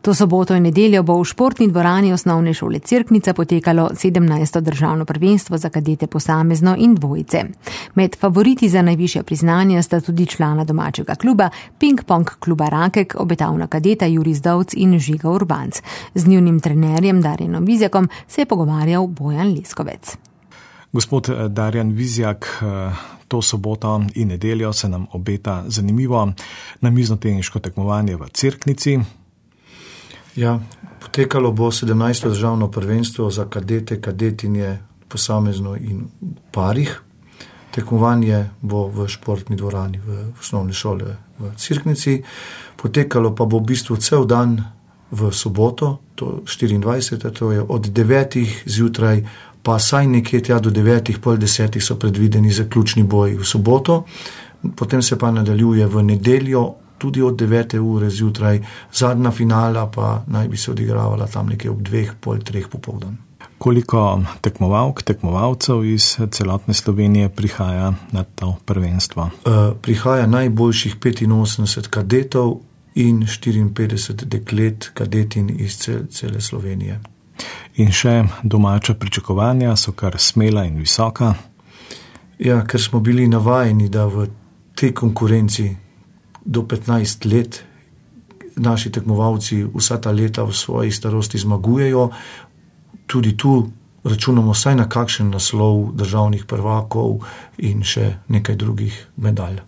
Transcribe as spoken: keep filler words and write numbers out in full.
To soboto in nedeljo bo v športni dvorani osnovne šole Cerknica potekalo sedemnajsto državno prvenstvo za kadete posamezno in dvojice. Med favoriti za najvišja priznanja sta tudi člana domačega kluba, ping-pong kluba Rakek, obetavna kadeta Jurij Zdovc in Žiga Urbanc. Z njunim trenerjem Darjanom Vizjakom se je pogovarjal Bojan Leskovec. Gospod Darjan Vizjak, to soboto in nedeljo se nam obeta zanimivo namiznoteniško tekmovanje v Cerknici. Ja, potekalo bo sedemnajsto državno prvenstvo za kadete, kadetinje, posamezno in parih. Tekmovanje bo v športni dvorani v osnovni šoli v Cerknici. Potekalo pa bo v bistvu cel dan v soboto, to štiriindvajsetega to je od devetih zjutraj, pa saj nekje tja do devetih, pol desetih so predvideni zaključni boji v soboto. Potem se pa nadaljuje v nedeljo, tudi od devete ure zjutraj, zadnja finala pa naj bi se odigravala tam nekje ob dveh, pol treh popoldan. Koliko tekmovalk, tekmovalcev iz celotne Slovenije prihaja na to prvenstvo? Uh, prihaja najboljših petinosemdeset kadetov in štiriinpetdeset deklet kadetin iz cel, cele Slovenije. In še domača pričakovanja so kar smela in visoka. Ja, ker smo bili navajeni, da v tej konkurenci do petnajst let naši tekmovalci vsa ta leta v svoji starosti zmagujejo. Tudi tu računamo vsaj na kakšen naslov državnih prvakov in še nekaj drugih medalj.